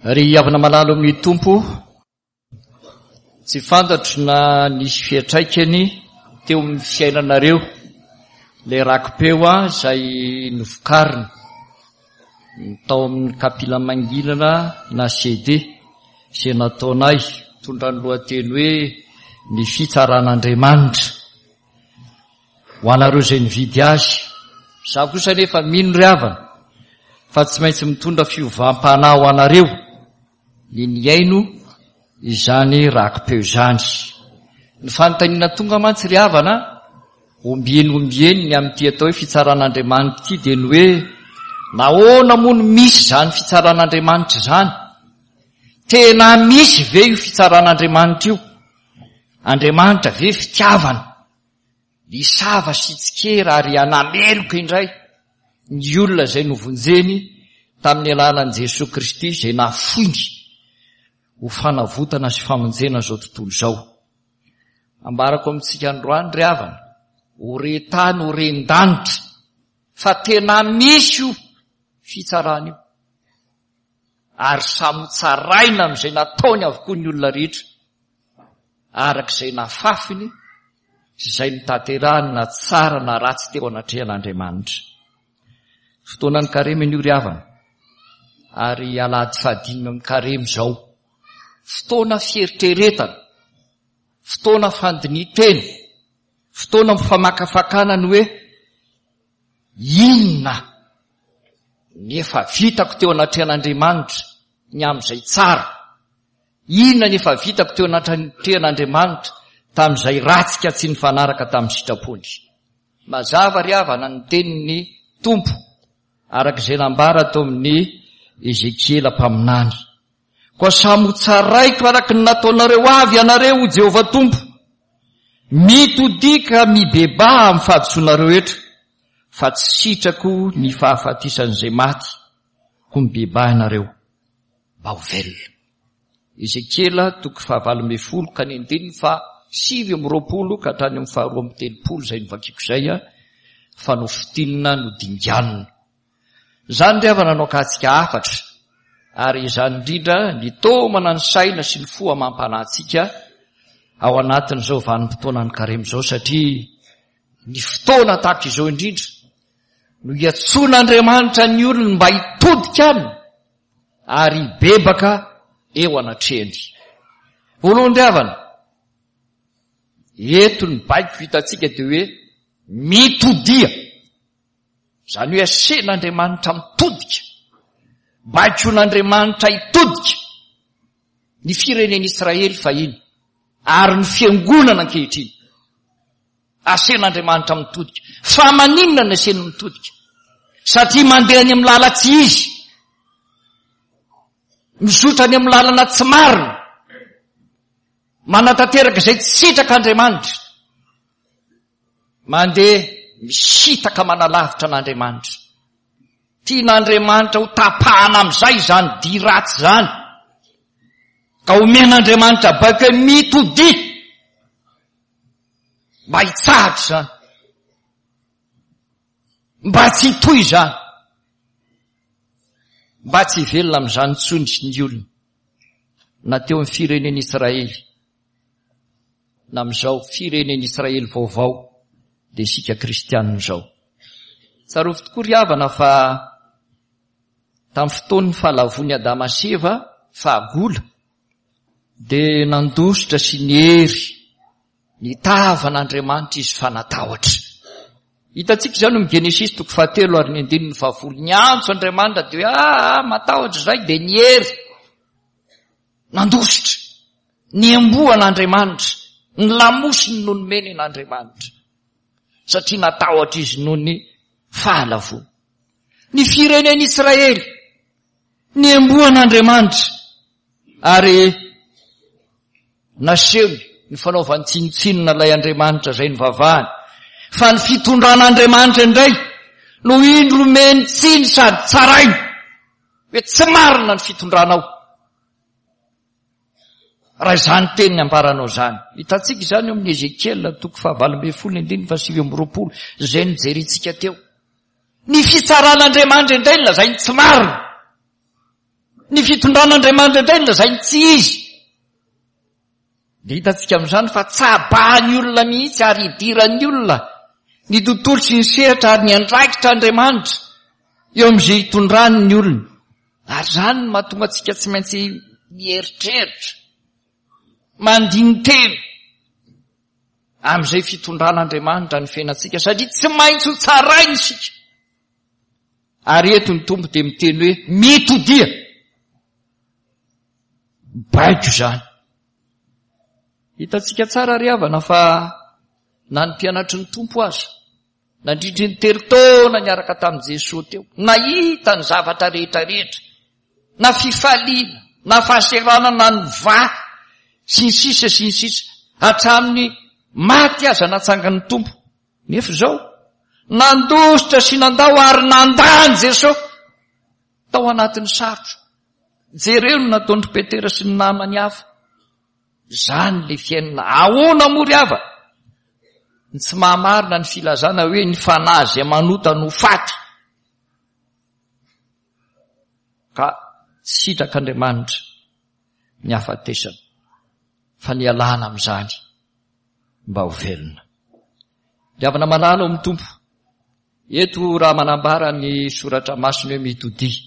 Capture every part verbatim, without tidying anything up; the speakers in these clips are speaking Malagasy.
Ry havana malala amin'ny Tompo, tsy fantatro na nisy fiantraikany teo amin'ny fiainanareo ilay raki-peo izay novokarina tao amin'ny kapila mangilana na C D izay nataonay mitondra ny lohateny hoe ny fitsaran'Andriamanitra ho anareo izay nividy azy. Izaho kosa anefa mino ry havana fa tsy maintsy mitondra fiovam-panahy ho anareo ny nihaino izany raki-peo izany. Ny fanontaniana tonga mantsy ry havana ombieny ombieny ny amin'ity atao hoe fitsaran'Andriamanitra ity dia ny hoe nahoana moa no misy izany fitsaran'Andriamanitra izany? Tena misy ve io fitsaran'Andriamanitra io? Andriamanitra ve fitiavana? Nisava sy tsikera ary hanameloka indray ny olona izay novonjeny tamin'ny alalan'i Jesoa Kristy izay nafoiny ho fanavotana sy famonjena izao tontolo izao. Ambarako amintsika androany ry havana, ho re tany, ho ren-danitra, fa tena misy io fitsarana io. Ary samy hotsaraina amin'izay nataony avokoa ny olona rehetra, araka izay nafafiny sy izay notanterahany na tsara na ratsy teo anatrehan'Andriamanitra. Fotoanan'ny karemy anio ry havana, ary alahady fahadimy amin'ny karemy izao. Fotoana fieritreretana, fotoana fandinihan-tena, fotoana mifamakafakana ny hoe inona ny efa vitako teo anatrehan'Andriamanitra ny amin'izay tsara, inona ny efa vitako teo anatrehan'Andriamanitra tamin'izay ratsy ka tsy nifanaraka tamin'ny sitrapony. Mazava ry havana ny tenin'ny Tompo araka izay nambara tao amin'ny Ezekiela mpaminany. Koa samy ho tsaraiko araka ny nataonareo avy ianareo, hoy Jehovah Tompo. Mitodika mibebaha amin'ny fahadisoanareo etra, fa tsy sitrako ny fahafatesan'izay maty, koa mibebaha ianareo mba ho velona. Ezekiela toko fahavalo ambin'ny folo ka ny andininy faha sivy amby roapolo ka hatrany amin'ny faharoa amby telopolo izay novakiko izay, fa nofintinina nodinganina. Izany ry havana no akatsika hafatra, ary izany indrindra ny taomana ny saina sy ny fo amam-panahintsika ao anatin'izao vanim-potoanan'ny karemy izao, satria ny fotoana tahaka izao indrindra no iantsoan'Andriamanitra ny olony mba hitodika aminy ary hibebaka eo anatrehany. Voalohany ry havana, eto ny baiko hitantsika dia hoe mitodia. Izany hoe asen'Andriamanitra mitodika, baikon'Andriamanitra hitodika ny firenen'Israely fahiny ary ny fiangonana ankehitriny. Asen'Andriamanitra mitodika. Fa maninona ny aseny mitodika? Satria mandeha any amin'ny lalana tsy izy, mizotra any amin'ny lalana tsy marina, manatanteraka izay tsy sitrak'Andriamanitra, mandeha misitaka manalavitra an'Andriamanitra. Tian'Andriamanitra ho tapahana amin'izay izany dia ratsy izany, ka omen'Andriamanitra baiko hoe mitodia mba hitsahatra izany, mba tsy hitohy izany, mba tsy hivelona amin'izany intsony ny olona, na teo amin'ny firenen'Israely na amin'izao firenen'Israely vaovao dia isika kristianina izao. Tsarovy tokoa ry havana fa tamin'ny fotoan'ny fahalavoan'i Adama sy Eva fahagola dia nandositra sy niery ny tavan'Andriamanitra izy fa natahotra. Hitantsika izany amin'ny Genesisy toko fahatelo ary ny andininy fahafolo. Niantso Andriamanitra dia hoe ah, matahotra izay, dia niery, nandositra, niamboho an'Andriamanitra, ny lamosiny no nomeny an'Andriamanitra, satria natahotra izy noho ny fahalavoana. Ny firenen'Israely niamboho an'Andriamanitra ary nasehony ny fanaovany tsinontsinona ilay Andriamanitra izay nivavahany, fa ny fitondran'Andriamanitra indray no indro omeny tsiny sady tsarainy hoe tsy marina ny fitondranao. Raha izany teny ny ambaranao izany, hitantsika izany eo amin'ny Ezekiela toko fahavalo ambin'ny folo ny andininy fahasivy amby roapolo izay nijerintsika teo. Ny fitsaran'Andriamanitra indray no lazainy tsy marina. Ny fitondran'Andriamanitra indray no lazainy tsy izy. Dia hitantsika amin'izany fa tsabahan'ny olona mihitsy ary idiran'ny olona ny tontolo sy ny sehatra ary ny andraikitra Andriamanitra eo amin'izay hitondrany ny olona. Ary izany no mahatonga antsika tsy maintsy mieritreritra, mandini-tena amin'izay fitondran'Andriamanitra ny fiainantsika, satria tsy maintsy ho tsaraina isika. Ary eto ny Tompo dia miteny hoe mitodia. Baiko izany. Hitantsika tsara ry havana fa na ny mpianatry ny Tompo aza, nandritry ny telo taona niaraka tamin'i Jesoa teo, nahita ny zavatra rehetra rehetra, na fifaliana, na fahaseranana ny va, sy ny sisa sy ny sisa, hatramin'ny maty aza natsangan'ny Tompo. Nefa izao, nandositra sy nandao ary nandà an'i Jesoa tao anatin'ny sarotra. Jereo ny nataon-dry Petera sy ny namany hafa. Izany ilay fiainana. Ahoana moa ry havana? Ny tsy mahamarina ny filazana hoe ny fanahy izay manota no faty. Ka tsy sitrak'Andriamanitra ny hafatesana, fa ny hialana amin'izany mba ho velona. Ry havana malala ao amin'ny Tompo, eto raha manambara ny soratra masina hoe mitodia,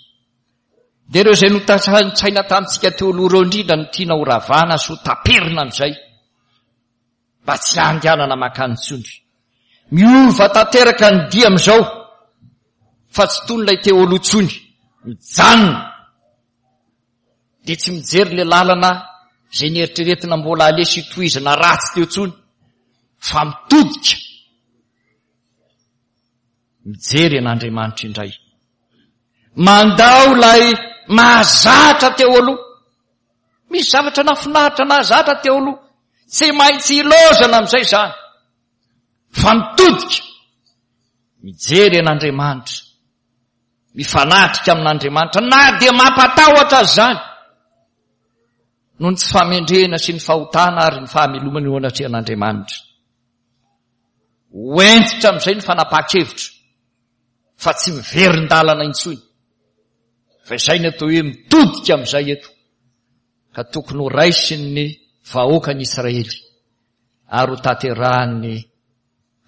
dia ireo izay notasaintsaina tamintsika teo aloha ireo indrindra no tiana ho ravana sy ho taperina amin'izay, mba tsy handehanana mankany intsony. Miova tanteraka ny dia amin'izao, fa tsy toy ilay teo aloha intsony. Mijanona dia tsy mijery ilay lalana izay nieritreretina mbola aleha sy tohizana ratsy teo intsony, fa mitodika mijery an'Andriamanitra indray. Mandao ilay mahazatra teo aloha. Misy zavatra nahafinaritra nahazatra teo aloha, tsy maintsy ilozana amin'izay izany, fa mitodika mijery an'Andriamanitra, mifanatrika amin'Andriamanitra, na dia mampatahotra azy izany noho ny tsy fahamendrehana sy ny fahotana ary ny fahamelomana eo anatrehan'Andriamanitra. Ho hentitra amin'izay ny fanapahan-kevitra fa tsy miverin-dalana intsony, fa izay ny atao hoe mitodika amin'izay eto, ka tokony ho raisin'ny vahoakan'i Israely ary ho tanterahan'ny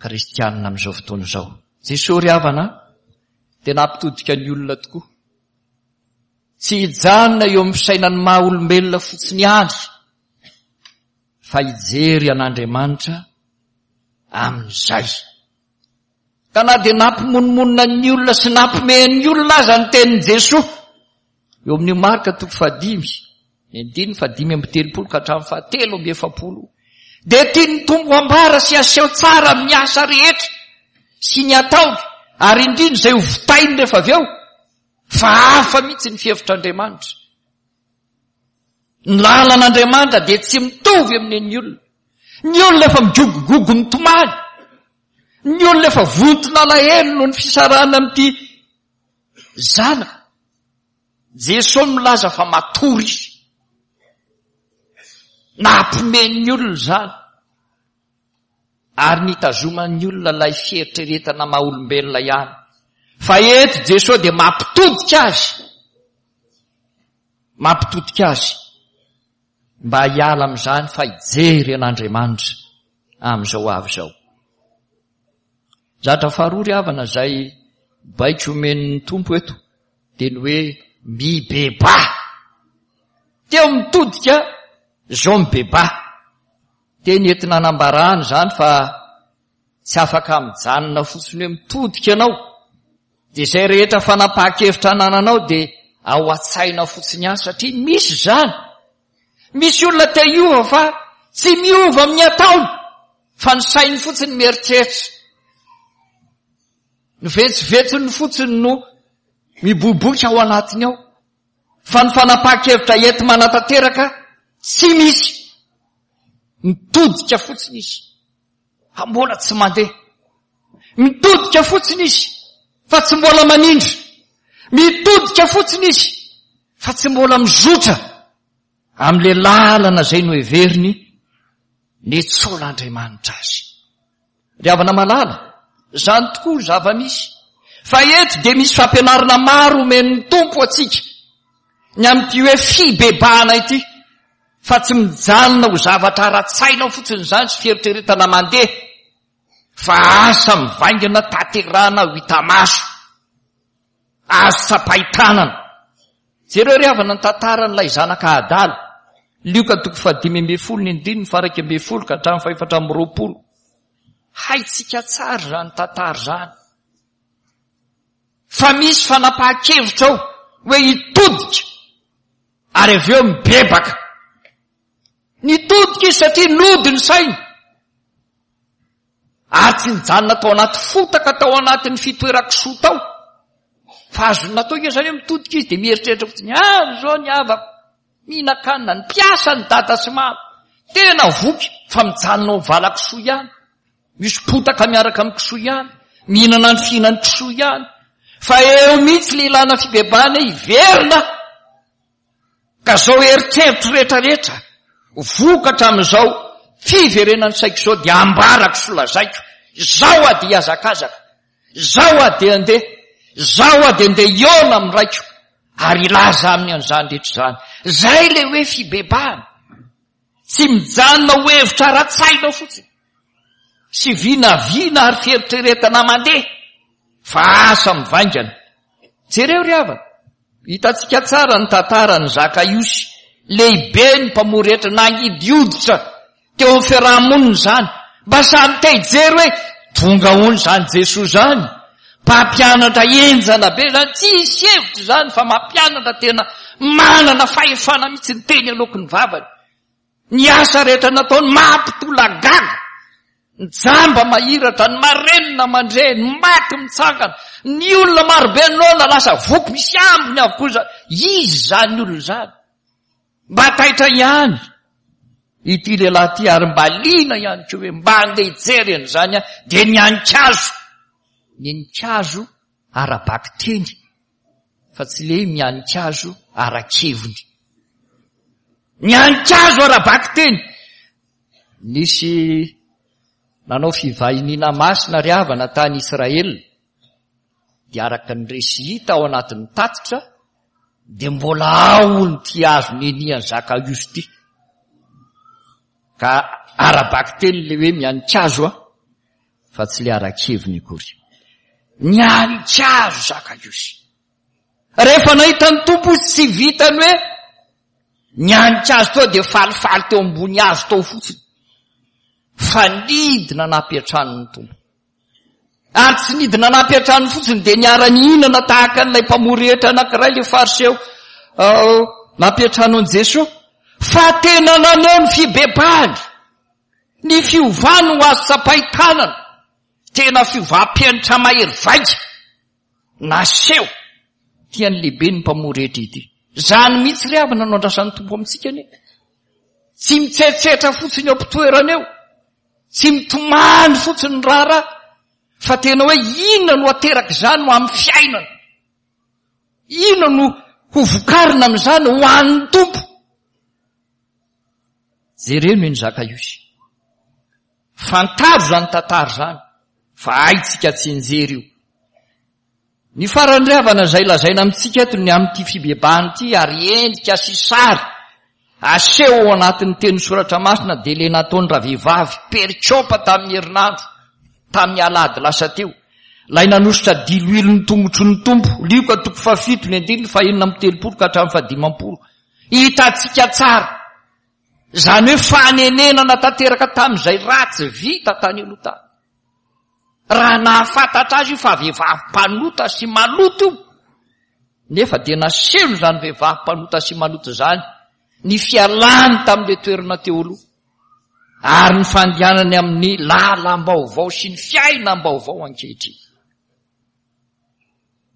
kristianina amin'izao fotoana izao. Jesoa ry havana dia nampitodika ny olona tokoa. Tsy hijanona eo amin'ny fisainan'ny maha olombelona fotsiny ihany, fa hijery an'Andriamanitra amin'izay. Ka na dia nampimonomonona ny olona sy nampimehy ny olona aza ny tenin'i Jesoa, eo amin'io Marka toko fahadimy, ny andininy fahadimy amby telopolo ka hatramin'ny fahatelo amby efapolo, dia tian'ny Tompo ambara sy aseho tsara amin'ny asa rehetra sy ny ataony, ary indrindra izay ho vitainy rehefa avy eo, fa hafa mihitsy ny fihevitr'Andriamanitra. Ny lalan'Andriamanitra dia tsy mitovy amin'ny an'ny olona. Ny olona efa migogogogo mitomany, ny olona efa vonton'alahelo noho ny fisarahana amin'ity zanaka. Jesoa milaza fa matory izy. Nampimen'ny olona izany, ary nitazoman'ny olona ilay fieritreretana maha olombelona ihany. Fa eto Jesoa dia mampitodika azy, mampitodika azy mba hiala amin'izany fa hijery an'Andriamanitra amin'izao avy izao. Zatra faharoa ry havana izay baiko omen'ny Tompo eto dia ny hoe mibebaha. Teo mitodika izao mibebaha. Teny entina anambarana izany fa tsy afaka mijanona fotsiny hoe mitodika ianao, dia izay rehetra fanapahan-kevitra anananao dia ao an-tsaina fotsiny ihany, satria misy izany. Misy olona te hiova fa tsy miova amin'ny ataony, fa ny sainy fotsiny mieritreritra. Ny vetsivetsiny fotsiny no miboiboika ao anatiny ao, fa ny fanapahan-kevitra enti-manatanteraka tsy misy. Mitodika fotsiny izy fa mbola tsy mandeha. Mitodika fotsiny izy fa tsy mbola manindry. Mitodika fotsiny izy fa tsy mbola mizotra amin'ilay lalana izay noheveriny nitsolan'Andriamanitra azy. Ry havana malala, izany tokoa ny zava-misy. Fa eto dia misy fampianarana maro omen'ny Tompo antsika, ny amin'ity hoe fibebahana ity, fa tsy mijanona ho zavatra ara-tsaina fotsiny izany sy fieritreretana mandeha, fa asa mivaingana tanterahana ho hita maso, azo tsapain-tanana. Jereo ry havana ny tantaran'ilay zanaka adala, Lioka toko fahadimy ambin'ny folo ny andininy faha-iraika ambin'ny folo ka hatramin'ny fahefatra amby roapolo. Haintsika tsara izany tantara izany. Fa misy fanapahan-kevitra ao hoe hitodika ary avy eo mibebaka. Nitodika izy satria nody ny sainy. Ary tsy nijanona tao anaty fotaka tao anatin'ny fitoeran-kisoa tao. Fa azony natao inge izany hoe mitodika izy dia mieritreritra fotsiny, avy izao ny havako, mihinan-kanina, ny mpiasa ny dada sy mama. Tena voky fa mijanona ao valan-kisoa ihany. Misy potaka miaraka amin'ny kisoa ihany, mihinana ny fihinan'ny kisoa ihany. Fa eo mihitsy le ilana fibebahana hiverina. Ka zao eritreritro rehetrarehetra, vokatra amin'izao fiverenan'ny saiko izao dia ambarako sy lazaiko, izao aho dia hihazakazaka, izao aho dia handeha, izao aho dia handeha hihaona amin'ny raiko ary hilaza aminy an'izany rehetra izany. Izay le hoe fibebahana. Tsy mijanona ho hevitra ara-tsaina fotsiny sy vinavina ary fieritreretana mandeha, fa asa mivaingana. Jereo ry havana, hitantsika tsara ny tantaran'i Zakaiosy, lehibe ny mpamory hetra, nangidy hoditra teo amin'ny fiaraha-monina izany. Mba samy te hijery hoe tonga hono izany Jesoa izany, mpampianatra henjana be izany, tsy hisy hevitra izany fa mampianatra tena manana fahefana mihitsy ny teny aloaky ny vavany. Ny asa rehetra nataony mampitolagaga, ny jamba mahiratra, ny marenina mandre, ny maty mitsangana, ny olona marobe noana lasa voky, misy ambiny avokoa izany. Izy izany olona izany. Mba taitra ihany ity lehilahy ity ary mba liana ihany koa hoe mba andeha hijery an'izany aho, dia nianikazo. Nianikazo ara-bakiteny fa tsy le mianikazo ara-keviny. Nianikazo ara-bakiteny. Nisy nanao fivahiniana masina ry havana tany Israel, dia araka ny resy hita ao anatin'ny tatitra dia mbola ao hono ity hazo nenian'i Zakaiosy ity. Ka ara-bakiteny le hoe mianikazo a, fa tsy le ara-keviny akory. Nianikazo Zakaiosy. Rehefa nahita ny Tompo izy, tsy vitany hoe nianikazo teo dia falifaly teo ambony hazo tao fotsiny, fa nidina nampiantrano ny Tompo. Ary tsy nidina nampiantrano fotsiny dia niara-nihinana tahaka an'ilay mpamory hetra anankiray, ilay fariseo, nampiantrano an'i Jesoa, fa tena naneho ny fibebahany, ny fiovany ho azo tsapain-tanana, tena fiovam-piantra mahery vaika naseho tian'ny lehibe ny mpamory hetra ity. Izany mihitsy ry havana no andrasan'ny Tompo amintsika anie. Tsy mitsetsetra fotsiny eo am-pitoerana eo, tsy mitomany fotsiny ny raharaha, fa tena hoe inona no ateraka izany ho amin'ny fiainana, inona no ho vokarina amin'izany ho an'ny Tompo. Jereo ny Zakaiosy. Fantaro izany tantara izany, fa haintsika tsy njery io. Ny farany ry havana izay lazaina amintsika eto ny amin'ity fibebahana ity ary endrika sy sary aseho ao anatin'ny teny soratra masina dia le nataony ravehivavy perikopa tamin'ny herinandro, tamin'ny alahady lasa teo. Ilay nanosotra diloilo ny tongotry ny Tompo, Lioka toko fahafito ny andininy fahenina amby telopolo ka hatramin'ny fahadimampolo. Hitantsika tsara izany hoe fanenenana tanteraka tamin'izay ratsy vita tany aloha tany. Raha nahafantatra azy io fa vehivavy mpanota sy maloto io, nefa dia nasehony izany vehivavy mpanota sy maloto izany ny fialany tamin'ilay toerana teo aloha ary ny fandehanany amin'ny lalam-baovao sy ny fiainam-baovao ankehitriny.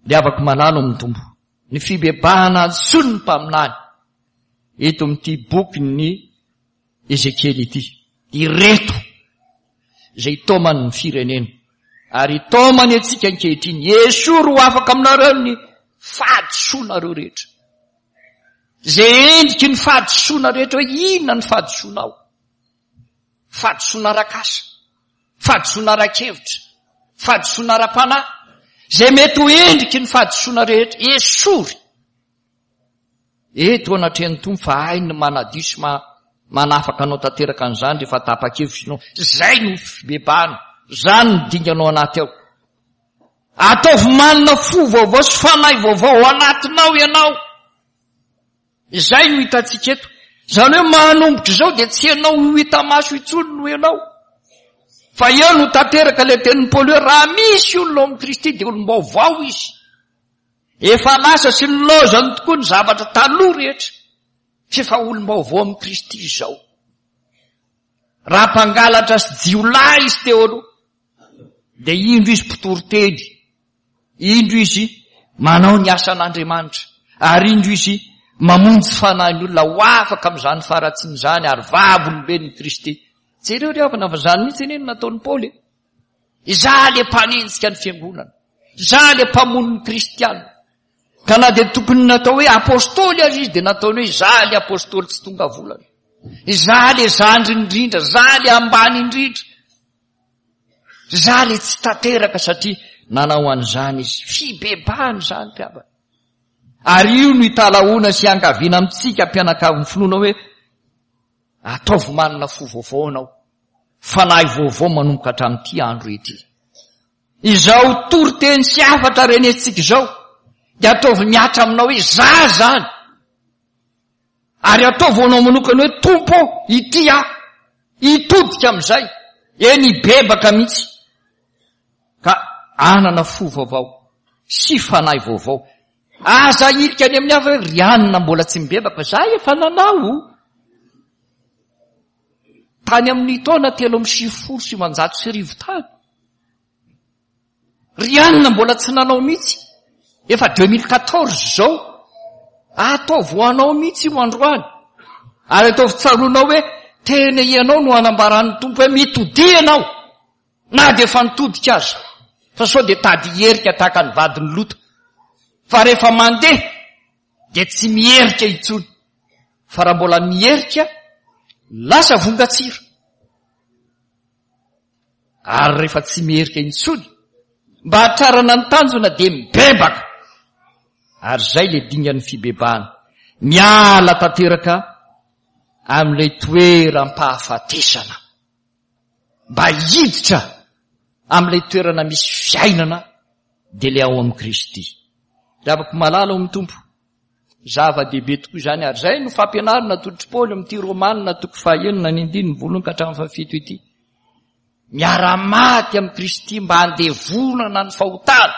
Ny havako malala amin'ny Tompo, ny fibebahana antsoin'ny mpaminany eto amin'ity bokin'ny Ezekiely ity, ireto izay itaomany ny firenena ary itaomany antsika ankehitriny. Esory ho afaka aminareo ny fahadisoanareo rehetra. Izay endriky ny fahadisoana rehetra, hoe inona ny fahadisoanao? Fahadisoana arak'asa, fahadisoana ara-kevitra, fahadisoana ara-panahy, izay mety ho endriky ny fahadisoana rehetra, esory. Eto anatrehan'ny Tompo fa hainy ny manadio sy manafaka anao tanteraka an'izany rehefa tapa-kevitra ianao. Izay no fibebahana, izany no dinganao anaty ao. Ataovy manana fo vaovao sy fanahy vaovao ao anatinao ianao. Izay no hitantsika eto. Izany hoe manomboka izao dia tsy ianao ho hita maso intsony no ianao. Fa eo no tanteraka ilay tenin'i Paoly hoe raha misy olona ao amin'i Kristy dia olom-baovao izy. Efa lasa sy nilaozany tokoa ny zavatra taloha rehetra. Tsy efa olom-baovao amin'i Kristy izao. Raha mpangalatra sy jiolahy izy teo aloha, dia indro izy mpitory teny, indro izy manao ny asan'Andriamanitra, ary indro izy mamonjy fanahin'olona ho afaka amin'izany faharatsiana izany ary vavolombelon'i Kristy. Jereo ry havana fa izany mihitsy anie no nataon'i Paoly e. Izaho ilay mpanenjika ny fiangonana, izaho ilay mpamono ny kristiana. Ka na dia tokony natao hoe apostoly aza izy dia nataony hoe izaho ilay apostoly tsy tonga volana. Izaho ilay zandry indrindra, izaho ilay ambany indrindra. Izaho ilay tsy tanteraka satria nanao an'izany izy. Fibebahana izany ry havana. Ary io no italahoana sy iangaviana amintsika mpianakavin'ny finoana hoe ataovy manana fo vaovao ianao, fanahy vaovao manomboka hatramin'ity andro ity. Izao toriteny sy hafatra renesintsika izao dia ataovy mihatra aminao hoe za zany. Ary ataovy ho anao manokana hoe Tompo ô, ity aho. Hitodika amin'izay. Eny hibebaka mihitsy. Ka hanana fo vaovao sy fanahy vaovao. Aza ahilika any amin'ny hafa hoe ry anona mbola tsy mibebaka, za efa nanao. Tany amin'ny taona telo amby sivifolo sy sivanjato sy arivo tany. Ry anona mbola tsy nanao mihitsy. Efa deux mille quatorze izao. Ataovy ho anao mihitsy io androany. Ary ataovy tsaroanao hoe tena ianao no anambaran'ny Tompo hoe mitodia ianao. Na dia efa nitodika aza. Fa sao dia tady hierika tahaka ny vadin'i Lota. Fa rehefa mandeha dia tsy mierika intsony. Fa raha mbola mierika, lasa vongan-tsira. Ary rehefa tsy mierika intsony, mba hahatrarana ny tanjona dia mibebaka. Ary izay ilay dingan'ny fibebahana. Miala tanteraka amin'ilay toeram-pahafatesana. Mba hiditra amin'ilay toerana misy fiainana dia ilay ao amin'i Kristy. Ry havako malala ao amin'ny Tompo, zava-dehibe tokoa izany, ary izay no fampianarana atolotr'i Paoly amin'ity Romana toko fahaenina ny andininy voalohany ka hatramin'ny fahafito ity. Miara-maty amin'i Kristy mba handevonana ny fahotana,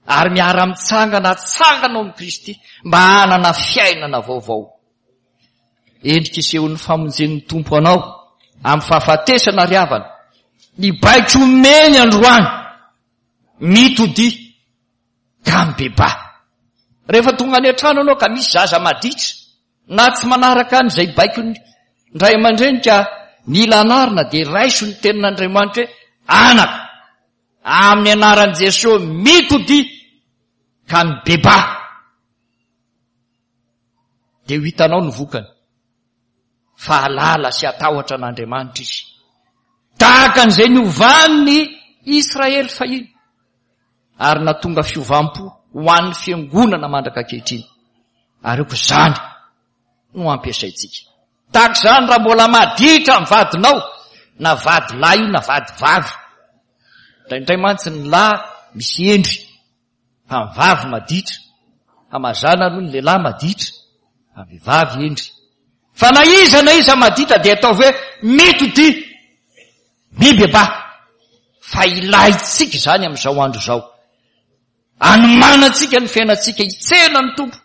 ary miara-mitsangana atsangana ao amin'i Kristy mba hanana fiainana vaovao. Endrika isehoan'ny famonjen'ny Tompo anao amin'ny fahafatesana ry havana, ny baiko omeny androany, mitodia ka mibebaha. Rehefa tonga any an-trano ianao ka misy zaza maditra na tsy manaraka an'izay baikon'ny ray aman-dreny ka mila anarina, dia raiso ny tenin'Andriamanitra hoe anaka, amin'ny anaran'i Jesosy mitodia ka mibebaha. Dia ho hitanao ny vokany fa halala sy hatahotra an'Andriamanitra izy. Tahaka an'izay niovan'ny Israely fahiny ary nahatonga fiovam-po ho an'ny fiangonana mandraka ankehitriny. Ary aoka izany no ampiasaintsika. Tahaka izany raha mbola maditra ny vadinao, na vady lahy io na vady vavy. Indraindray mantsy ny lahy misy hendry, fa ny vavy maditra. Fa mazàna aloha ny lehilahy maditra, fa ny vehivavy hendry. Fa na iza na iza maditra dia ataovy hoe mitodia, mibebaha. Fa ilaintsika izany amin'izao andro izao. Anomanantsika ny fiainantsika hitsena ny Tompo,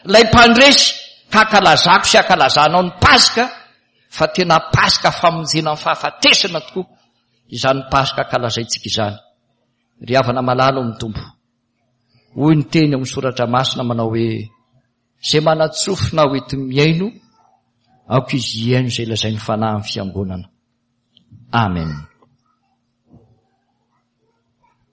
ilay mpandresy, ka ankalazako sy ankalazanao ny Paska, fa tena Paska famonjena ny fahafatesana tokoa izany Paska ankalazaintsika izany. Ry havana malala ao amin'ny Tompo, hoy ny teny ao amin'ny Soratra Masina manao hoe, izay manan-tsofina ho enti-mihaino, aoka izy hihaino izay lazain'ny Fanahy amin'ny Fiangonana. Amen.